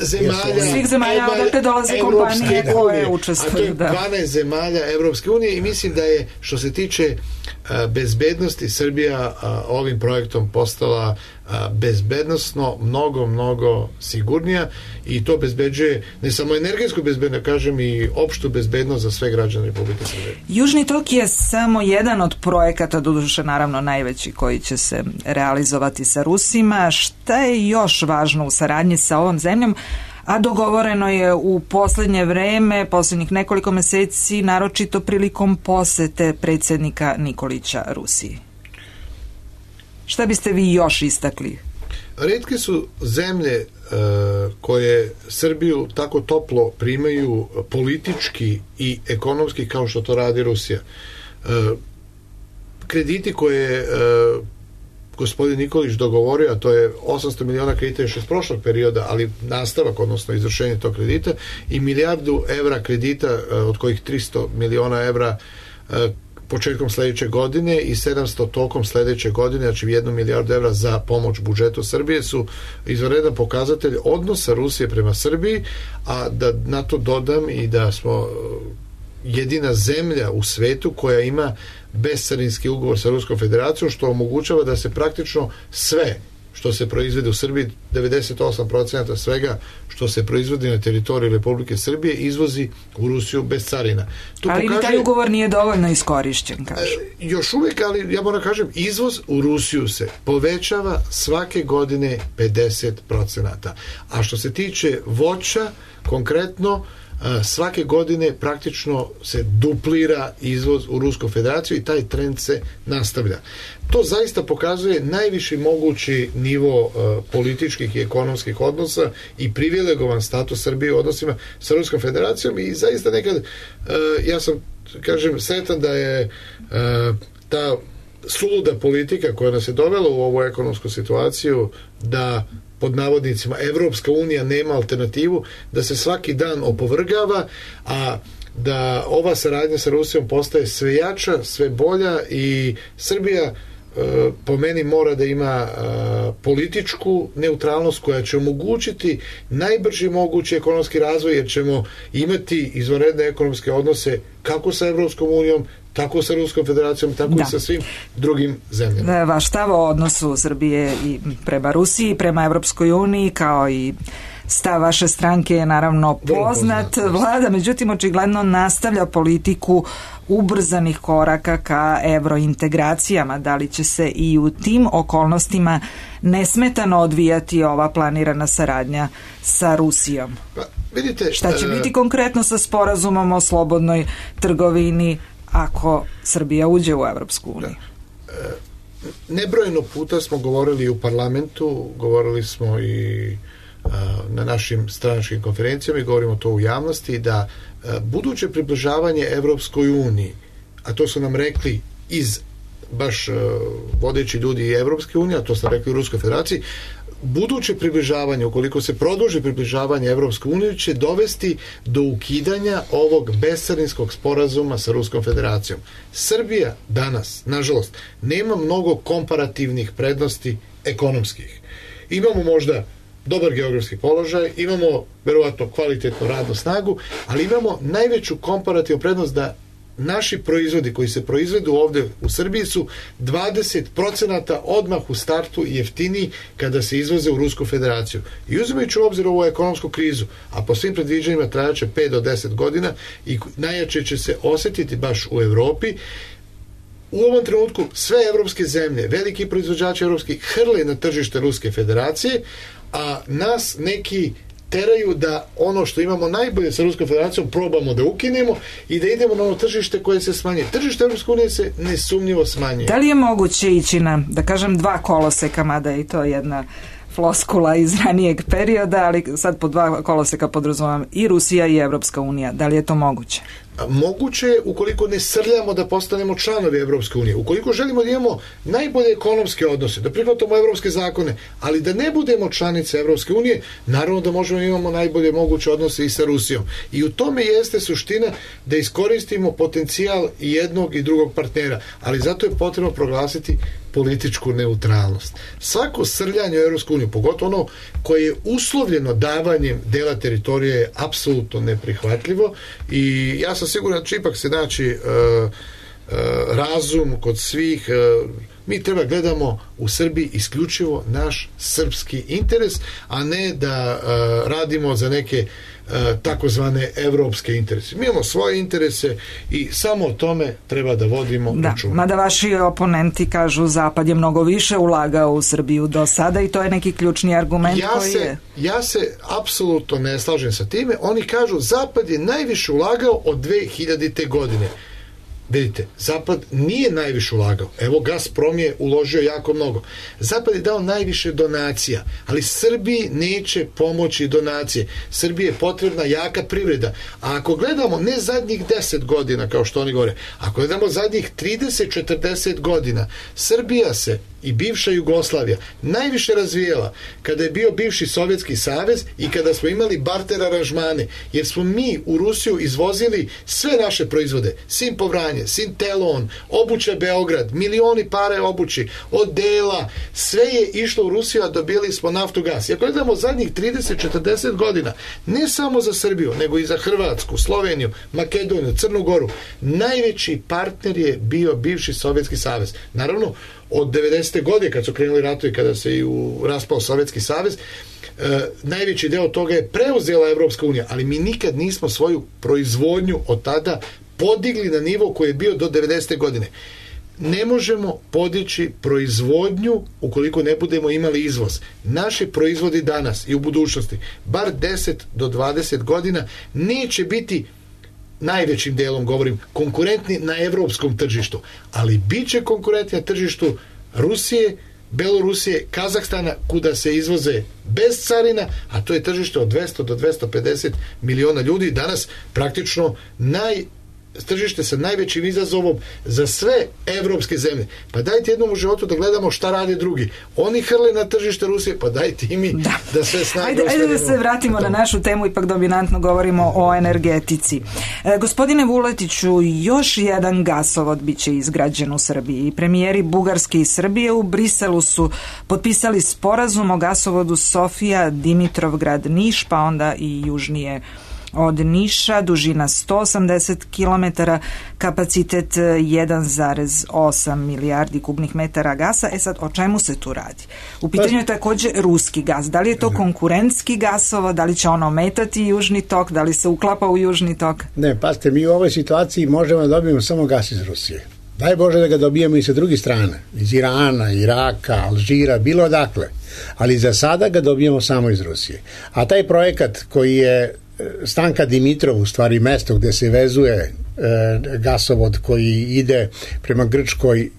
svih zemalja odakle dolaze kompanije koje učestvuju. A to je 12 zemalja Evropske unije i mislim da je, što se tiče bezbednosti, Srbija ovim projektom postala bezbednosno mnogo sigurnija i to bezbeđuje ne samo energetsku bezbednost, kažem i opštu bezbednost za sve građane Republike Srbije. Južni tok je samo jedan od projekata, doduše naravno najveći, koji će se realizovati sa Rusima. Šta je još važno u saradnji sa ovom zemljom, a dogovoreno je u poslednje vreme, poslednjih nekoliko meseci, naročito prilikom posete predsjednika Nikolića Rusiji? Šta biste vi još istakli? Retke su zemlje koje Srbiju tako toplo primaju politički i ekonomski kao što to radi Rusija. Krediti koje gospodin Nikolić dogovorio, a to je 800 miliona kredita još iz prošlog perioda, ali nastavak, odnosno izvršenje tog kredita, i 1 milijardu evra kredita, od kojih 300 miliona evra početkom sledeće godine i 700 tokom sledeće godine, znači 1 milijardu evra za pomoć budžetu Srbije, su izvanredan pokazatelj odnosa Rusije prema Srbiji, a da na to dodam i da smo jedina zemlja u svetu koja ima bescarinski ugovor sa Ruskom federacijom, što omogućava da se praktično sve što se proizvede u Srbiji, 98% svega što se proizvodi na teritoriji Republike Srbije, izvozi u Rusiju bez carina. Ali taj ugovor nije dovoljno iskorišćen, kažu. Još uvijek, ali ja moram kažem, izvoz u Rusiju se povećava svake godine 50%. A što se tiče voća, konkretno, svake godine praktično se duplira izvoz u Rusku federaciju i taj trend se nastavlja. To zaista pokazuje najviši mogući nivo političkih i ekonomskih odnosa i privilegovan status Srbije u odnosima sa Ruskom federacijom i zaista nekad ja sam, kažem, sretan da je ta suluda politika koja nas je dovela u ovu ekonomsku situaciju da pod navodnicima Evropska unija nema alternativu, da se svaki dan opovrgava, a da ova saradnja sa Rusijom postaje sve jača, sve bolja i Srbija po meni mora da ima političku neutralnost koja će omogućiti najbrži mogući ekonomski razvoj, jer ćemo imati izvanredne ekonomske odnose kako sa Evropskom unijom, tako sa Ruskom federacijom, tako i sa svim drugim zemljama. Vaš stav o odnosu Srbije i prema Rusiji, prema Evropskoj uniji, kao i stav vaše stranke je naravno poznat. Vlada, međutim, očigledno nastavlja politiku ubrzanih koraka ka evrointegracijama. Da li će se i u tim okolnostima nesmetano odvijati ova planirana saradnja sa Rusijom? Pa, vidite, šta će biti konkretno sa sporazumom o slobodnoj trgovini ako Srbija uđe u Evropsku uniju? Nebrojeno puta smo govorili u parlamentu, govorili smo i na našim stranačkim konferencijama i govorimo to u javnosti, da buduće približavanje Evropskoj uniji, a to su nam rekli iz baš vodeći ljudi i Evropske unije, a to su nam rekli u Ruskoj federaciji, buduće približavanje, ukoliko se produži približavanje Evropskoj uniji, će dovesti do ukidanja ovog bescarinskog sporazuma sa Ruskom federacijom. Srbija danas, nažalost, nema mnogo komparativnih prednosti ekonomskih. Imamo možda dobar geografski položaj, imamo verovatno kvalitetnu radnu snagu, ali imamo najveću komparativnu prednost da naši proizvodi koji se proizvedu ovde u Srbiji su 20% odmah u startu jeftiniji kada se izvoze u Rusku federaciju. I uzimajući u obzir ovu ekonomsku krizu, a po svim predviđanjima trajaće 5 do 10 godina i najjače će se osetiti baš u Evropi, u ovom trenutku sve evropske zemlje, veliki proizvođači evropski, hrle na tržište Ruske federacije, a nas neki teraju da ono što imamo najbolje sa Ruskom federacijom probamo da ukinemo i da idemo na ono tržište koje se smanjuje. Tržište Evropske unije se nesumnjivo smanjuje. Da li je moguće ići na, da kažem, 2 koloseka, mada je i to jedna floskula iz ranijeg perioda, ali sad po 2 koloseka podrazumijem i Rusija i Evropska unija. Da li je to moguće? Moguće je ukoliko ne srljamo da postanemo članovi Evropske unije. Ukoliko želimo da imamo najbolje ekonomske odnose, da prihvatamo evropske zakone, ali da ne budemo članice Evropske unije, naravno da možemo imamo najbolje moguće odnose i sa Rusijom. I u tome jeste suština da iskoristimo potencijal i jednog i drugog partnera, ali zato je potrebno proglasiti političku neutralnost. Svako srljanje u Evropsku uniju, pogotovo ono koje je uslovljeno davanjem dela teritorije, je apsolutno neprihvatljivo i ja sam siguran da će ipak se naći razum kod svih. Mi treba gledamo u Srbiji isključivo naš srpski interes, a ne da radimo za neke takozvane evropske interese. Mi imamo svoje interese i samo o tome treba da vodimo računa. Mada vaši oponenti kažu Zapad je mnogo više ulagao u Srbiju do sada i to je neki ključni argument koji je... Ja se apsolutno ne slažem sa time. Oni kažu Zapad je najviše ulagao od 2000. godine. Vidite, Zapad nije najviše ulagao. Evo, Gazprom je uložio jako mnogo. Zapad je dao najviše donacija, ali Srbiji neće pomoći donacije. Srbiji je potrebna jaka privreda. A ako gledamo ne zadnjih 10 godina, kao što oni govore, ako gledamo zadnjih 30-40 godina, Srbija se i bivša Jugoslavija najviše razvijela kada je bio bivši Sovjetski savez i kada smo imali barter aranžmane, jer smo mi u Rusiju izvozili sve naše proizvode, Simpovranje, Sintelon, obuća Beograd, milioni pare obući, odela, sve je išlo u Rusiju, a dobili smo naftu, gas. I ako gledamo zadnjih 30-40 godina, ne samo za Srbiju, nego i za Hrvatsku, Sloveniju, Makedoniju, Crnu Goru, najveći partner je bio bivši Sovjetski savez. Naravno, od 90. godine kad su krenuli ratovi, kada se i raspao Sovjetski savez, najveći deo toga je preuzela Evropska unija, ali mi nikad nismo svoju proizvodnju od tada podigli na nivo koji je bio do 90. godine. Ne možemo podići proizvodnju ukoliko ne budemo imali izvoz. Naši proizvodi danas i u budućnosti, bar 10 do 20 godina, neće biti, najvećim delom govorim, konkurentni na evropskom tržištu, ali bit će konkurentni na tržištu Rusije, Belorusije, Kazahstana, kuda se izvoze bez carina, a to je tržište od 200 do 250 miliona ljudi. Danas praktično tržište sa najvećim izazovom za sve evropske zemlje. Pa dajte jednom u životu da gledamo šta rade drugi. Oni hrle na tržište Rusije, pa dajte i mi da sve snage ostavimo. Ajde da se vratimo na našu temu, ipak dominantno govorimo o energetici. Gospodine Vuletiću, još jedan gasovod biće izgrađen u Srbiji. Premijeri Bugarske i Srbije u Briselu su potpisali sporazum o gasovodu Sofija, Dimitrovgrad, Niš, pa onda i južnije od Niša, dužina 180 km, kapacitet 1,8 milijardi kubnih metara gasa. Sad, o čemu se tu radi? U pitanju je također ruski gas. Da li je to konkurentski gasovod, da li će ono ometati Južni tok, da li se uklapa u Južni tok? Ne, pazite, mi u ovoj situaciji možemo da dobijemo samo gas iz Rusije. Daj Bože da ga dobijemo i sa druge strane, iz Irana, Iraka, Alžira, bilo odakle. Ali za sada ga dobijemo samo iz Rusije. A taj projekat koji je Stanka Dimitrov, u stvari mesto gde se vezuje gasovod koji ide prema Grčkoj,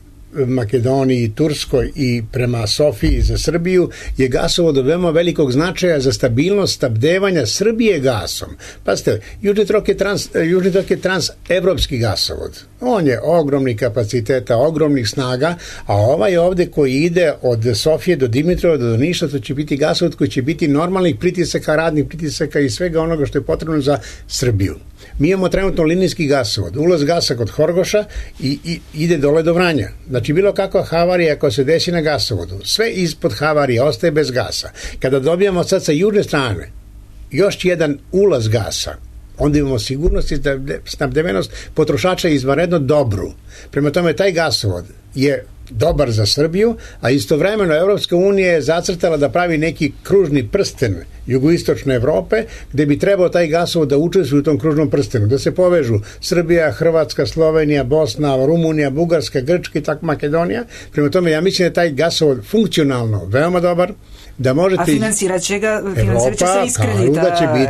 Makedoniji, Turskoj i prema Sofiji za Srbiju, je gasovod od veoma velikog značaja za stabilnost snabdevanja Srbije gasom. Pazite, Južni tok je transevropski gasovod. On je ogromnih kapaciteta, ogromnih snaga, a ovaj ovde koji ide od Sofije do Dimitrova do Niša, to će biti gasovod koji će biti normalnih pritisaka, radnih pritisaka i svega onoga što je potrebno za Srbiju. Mi imamo trenutno linijski gasovod, ulaz gasa kod Horgoša i ide dole do Vranja. Znači, bilo kakva havarija ako se desi na gasovodu, sve ispod havarije ostaje bez gasa. Kada dobijamo sad sa južne strane još jedan ulaz gasa, onda imamo sigurnost i snabdevenost potrošača izvanredno dobru. Prema tome, taj gasovod je dobar za Srbiju, a istovremeno Evropska unija je zacrtala da pravi neki kružni prsten jugoistočne Evrope, gde bi trebao taj gasovod da učestvuje u tom kružnom prstenu, da se povežu Srbija, Hrvatska, Slovenija, Bosna, Rumunija, Bugarska, Grčka i tako Makedonija. Prema tome, ja mislim da je taj gasovod funkcionalno veoma dobar, da možete... A financirat će se iz kredita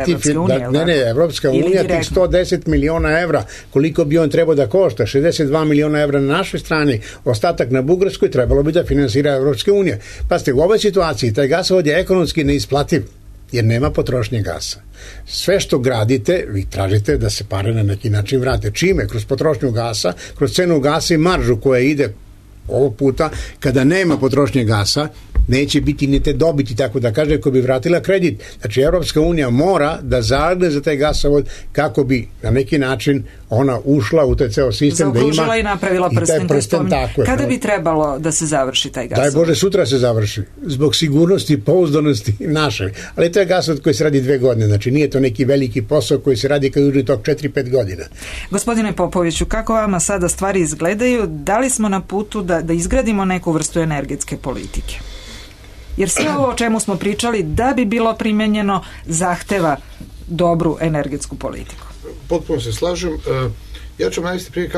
Evropske unije. Evropska unija tih 110 miliona evra, koliko bi on trebao da košta, 62 miliona evra na našoj strani, ostatak na Bugarskoj, trebalo bi da finansira Evropska unija. Pazite, u ovoj situaciji taj gasovod je ekonomski neisplativ, jer nema potrošnje gasa. Sve što gradite, vi tražite da se pare na neki način vrate. Čime? Kroz potrošnju gasa, kroz cenu gasa i maržu koja ide ovog puta, kada nema potrošnje gasa, neće biti ni te dobiti, tako da kaže, ko bi vratila kredit. Znači, Evropska unija mora da zaradne za taj gasovod kako bi na neki način ona ušla u taj ceo sistem, da ima i napravila prsten. Kada bi trebalo da se završi taj gasovod? Daj Bože, sutra se završi. Zbog sigurnosti i pouzdanosti naše. Ali to je gasovod koji se radi 2 godine. Znači, nije to neki veliki posao koji se radi kao južni tok 4-5 godina. Gospodine Popoviću, kako vama sada stvari izgledaju? Da li smo na putu da izgradimo neku vrstu energetske politike? Jer sve ovo o čemu smo pričali, da bi bilo primenjeno, zahteva dobru energetsku politiku. Potpuno se slažem. Ja ću navesti prije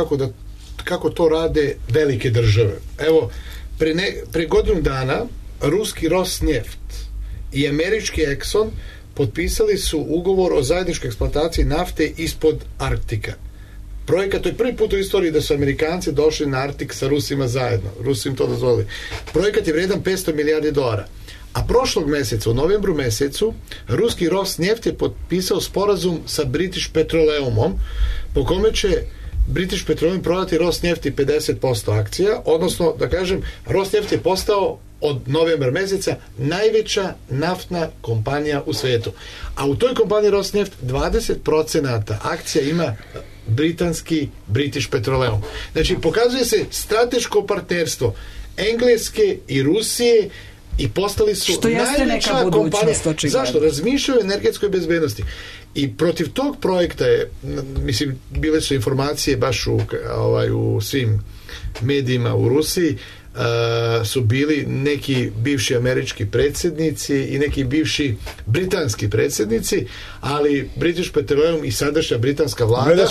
kako to rade velike države. Evo, pre godinu dana ruski Rosneft i američki Exxon potpisali su ugovor o zajedničkoj eksploataciji nafte ispod Arktika. Projekat, to je prvi put u istoriji da su Amerikanci došli na Arktik sa Rusima zajedno. Rusi im to dozvolili. Projekat je vredan $500 milijardi. A prošlog meseca, u novembru mesecu, ruski Rosneft je potpisao sporazum sa British Petroleumom, po kome će British Petroleum prodati Rosnefti 50% akcija, odnosno, da kažem, Rosneft je postao od novembra meseca najveća naftna kompanija u svetu. A u toj kompaniji Rosneft 20% akcija ima britanski British Petroleum. Znači, pokazuje se strateško partnerstvo Engleske i Rusije i postali su najveća kompanija. Zašto? Razmišljaju o energetskoj bezbednosti. I protiv tog projekta je, mislim, bile su informacije baš u svim medijima u Rusiji, su bili neki bivši američki predsjednici i neki bivši britanski predsjednici, ali British Petroleum i sadašnja britanska vlada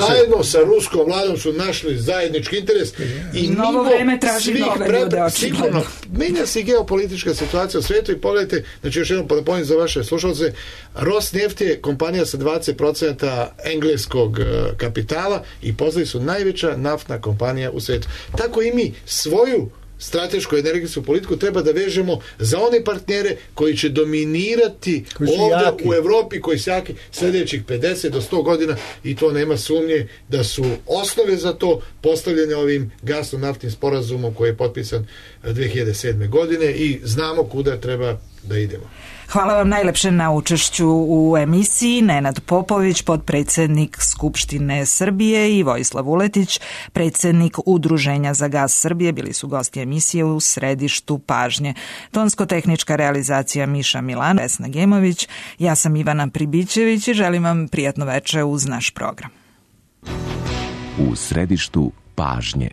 zajedno sa ruskom vladom su našli zajednički interes i novo vreme traži nove ljude, očigledno. Menja se geopolitička situacija u svijetu i pogledajte, znači još jednom podaponim za vaše slušalce, Rosneft je kompanija sa 20% engleskog kapitala i postali su najveća naftna kompanija u svijetu. Tako i mi svoju stratešku energetsku politiku treba da vežemo za one partnere koji će dominirati ovdje u Evropi, koji su jaki sljedećih 50 do 100 godina i to nema sumnje da su osnove za to postavljene ovim gasno-naftnim sporazumom koji je potpisan 2007. godine i znamo kuda treba da idemo. Hvala vam najlepše na učešću u emisiji. Nenad Popović, potpredsjednik Skupštine Srbije, i Vojislav Vuletić, predsjednik Udruženja za gas Srbije, bili su gosti emisije u središtu pažnje. Tonsko-tehnička realizacija Miša Milan, Vesna Gemović, ja sam Ivana Pribićević i želim vam prijatno veče uz naš program. U središtu pažnje.